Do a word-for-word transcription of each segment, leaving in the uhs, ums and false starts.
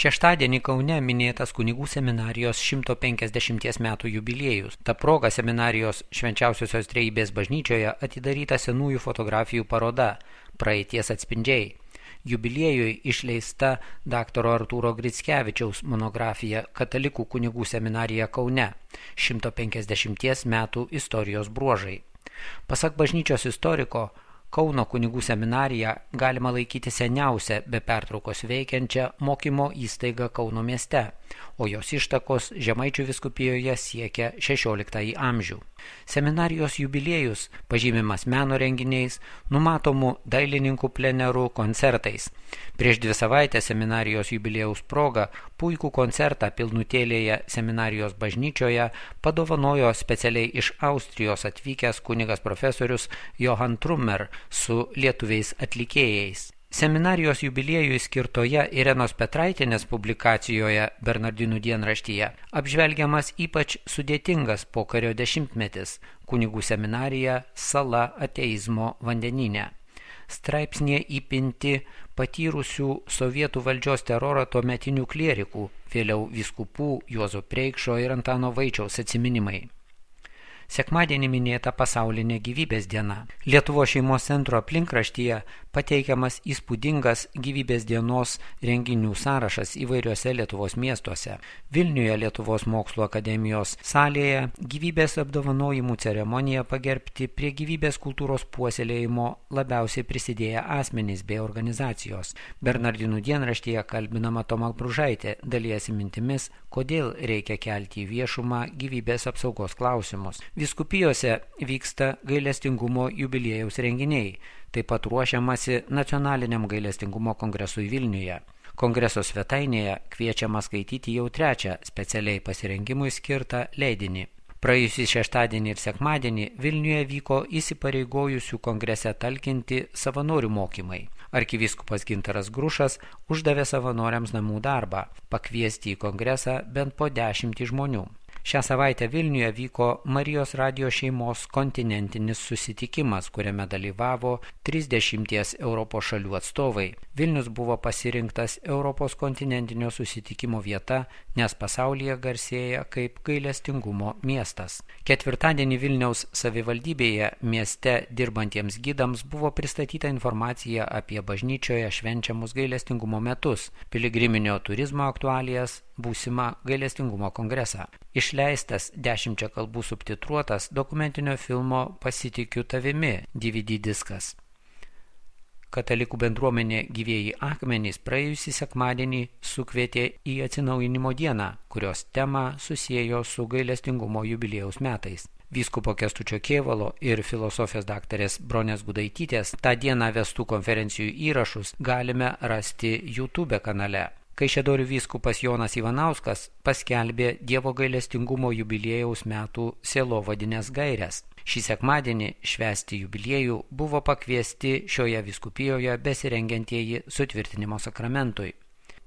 Šeštadienį Kaune minėtas kunigų seminarijos šimto penkiasdešimties metų jubiliejus. Ta proga seminarijos Švenčiausiosios Trejybės bažnyčioje atidaryta senųjų fotografijų paroda Praeities atspindžiai. Jubiliejui išleista daktaro Artūro Grickevičiaus monografija Katalikų kunigų seminarija Kaune šimto penkiasdešimties metų istorijos bruožai. Pasak bažnyčios istoriko, Kauno kunigų seminariją galima laikyti seniausia be pertraukos veikiančią mokymo įstaigą Kauno mieste, o jos ištakos Žemaičių vyskupijoje siekia šešioliktąjį amžių. Seminarijos jubiliejus pažymimas meno renginiais, numatomų dailininkų plenerų koncertais. Prieš dvi savaitės seminarijos jubiliejaus proga puikų koncertą Pilnutėlėje seminarijos bažnyčioje padovanojo specialiai iš Austrijos atvykęs kunigas profesorius Johann Trummer su lietuviais atlikėjais. Seminarijos jubiliejui skirtoje Irenos Petraitienės publikacijoje Bernardinų dienraštyje apžvelgiamas ypač sudėtingas pokario dešimtmetis – kunigų seminarija sala ateizmo vandenyne. Straipsnėje įpinti patyrusių sovietų valdžios terorą tuometinių klierikų, vėliau vyskupų Juozo Preikšo ir Antano Vaičiaus atsiminimai. Sekmadienį minėta pasaulinė gyvybės diena. Lietuvos šeimos centro aplinkraštyje pateikiamas įspūdingas gyvybės dienos renginių sąrašas įvairiuose Lietuvos miestuose. Vilniuje Lietuvos mokslo akademijos salėje gyvybės apdovanojimų ceremonija pagerbti prie gyvybės kultūros puoselėjimo labiausiai prisidėję asmenys bei organizacijos. Bernardinų dienraštyje kalbinama Toma Bružaitė dalijasi mintimis, kodėl reikia kelti į viešumą gyvybės apsaugos klausimus. Vyskupijose vyksta gailestingumo jubiliejaus renginiai, taip pat ruošiamasi nacionaliniam gailestingumo kongresui Vilniuje. Kongreso svetainėje kviečiama skaityti jau trečią specialiai pasirengimui skirtą leidinį. Praėjusį šeštadienį ir sekmadienį Vilniuje vyko įsipareigojusių kongrese talkinti savanorių mokymai. Arkivyskupas Gintaras Grušas uždavė savanoriams namų darbą – pakviesti į kongresą bent po dešimtį žmonių. Šią savaitę Vilniuje vyko Marijos radijo šeimos kontinentinis susitikimas, kuriame dalyvavo trisdešimties Europos šalių atstovai. Vilnius buvo pasirinktas Europos kontinentinio susitikimo vieta, nes pasaulyje garsėja kaip gailestingumo miestas. Ketvirtadienį Vilniaus savivaldybėje mieste dirbantiems gidams buvo pristatyta informacija apie bažnyčioje švenčiamus gailestingumo metus, piligriminio turizmo aktualijas, būsimą gailestingumo kongresą. Išleistas dešimčia kalbų subtitruotas dokumentinio filmo Pasitikiu tavimi D V D diskas. Katalikų bendruomenė Gyvieji akmenys praėjusį sekmadienį sukvietė į atsinaujinimo dieną, kurios temą susiejo su gailestingumo jubiliejaus metais. Vyskupo Kęstučio Kėvalo ir filosofijos daktarės Bronės Gudaitytės tą dieną vestų konferencijų įrašus galime rasti YouTube kanale. Kaišiadorių vyskupas Jonas Ivanauskas paskelbė Dievo gailestingumo jubiliejaus metų sielovadinės gaires. Šį sekmadienį švęsti jubiliejų buvo pakviesti šioje vyskupijoje besirengiantieji sutvirtinimo sakramentui.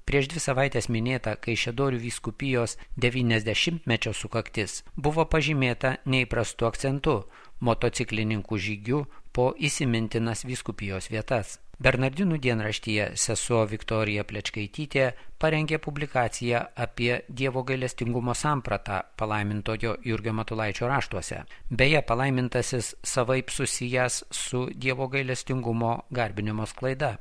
Prieš dvi savaitės minėta Kaišiadorių vyskupijos devyniasdešimtmečio sukaktis buvo pažymėta neįprastu akcentu – motociklininkų žygių po įsimintinas vyskupijos vietas. Bernardinų dienraštyje sesuo Viktorija Plečkaitytė parengė publikaciją apie Dievo gailestingumo sampratą palaimintojo Jurgio Matulaičio raštuose. Beje, palaimintasis savaip susijęs su Dievo gailestingumo garbinimo sklaida.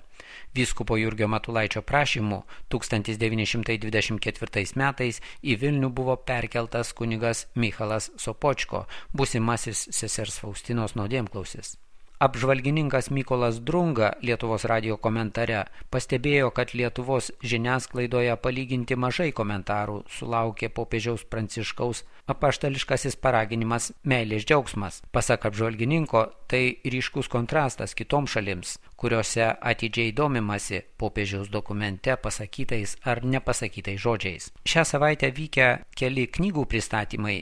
Vyskupo Jurgio Matulaičio prašymu tūkstantis devyni šimtai dvidešimt ketvirtais metais į Vilnių buvo perkeltas kunigas Michalas Sopočko, būsimasis sesers Faustinos nuodėmklausis. Apžvalgininkas Mykolas Drunga Lietuvos radijo komentare pastebėjo, kad Lietuvos žiniasklaidoje palyginti mažai komentarų sulaukė popiežiaus Pranciškaus apaštališkasis paraginimas meilės džiaugsmas. Pasak apžvalgininko, tai ryškus kontrastas kitoms šalims, kuriuose atidžiai domimasi popiežiaus dokumente pasakytais ar nepasakytais žodžiais. Šią savaitę vykę keli knygų pristatymai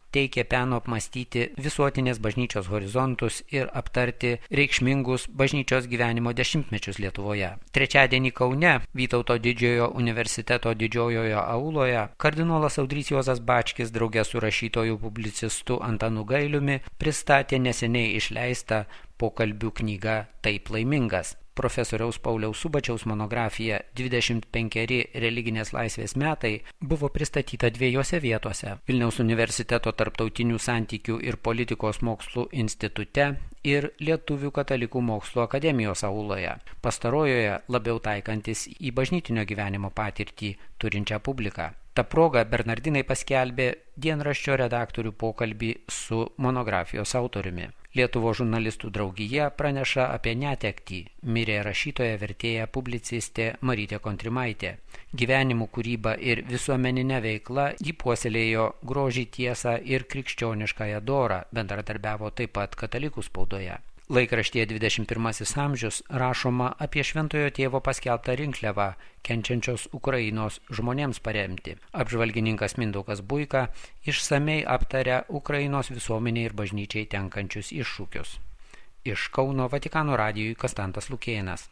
teikia peno apmastyti visuotinės bažnyčios horizontus ir aptarti reikšmingus bažnyčios gyvenimo dešimtmečius Lietuvoje. Trečiadienį Kaune Vytauto didžiojo universiteto didžiojoje auloje kardinolas Audrys Juozas Bačkis drauge su rašytoju publicistu Antanu Gailiumi pristatė neseniai išleistą pokalbių knygą Taip laimingas. Profesoriaus Pauliaus Subačiaus monografija dvidešimt penkeri religinės laisvės metai buvo pristatyta dviejose vietose – Vilniaus universiteto tarptautinių santykių ir politikos mokslų institute ir Lietuvių katalikų mokslo akademijos auloje, pastarojoje labiau taikantis į bažnytinio gyvenimo patirtį turinčią publiką. Ta proga Bernardinai paskelbė dienraščio redaktorių pokalbį su monografijos autoriumi. Lietuvos žurnalistų draugija praneša apie netektį. Mirė rašytoja, vertėja, publicistė Marytė Kontrimaitė. Gyvenimų kūryba ir visuomeninė veikla jį puoselėjo grožį, tiesą ir krikščioniškąją dorą, bendradarbiavo taip pat katalikų spaudoje. Laikraštyje dvidešimt pirmasis amžius rašoma apie Šventojo tėvo paskelbtą rinkliavą, kenčiančios Ukrainos žmonėms paremti. Apžvalgininkas Mindaugas Buika išsamei aptaria Ukrainos visuomeniai ir bažnyčiai tenkančius iššūkius. Iš Kauno Vatikano radijui Konstantas Lukėnas.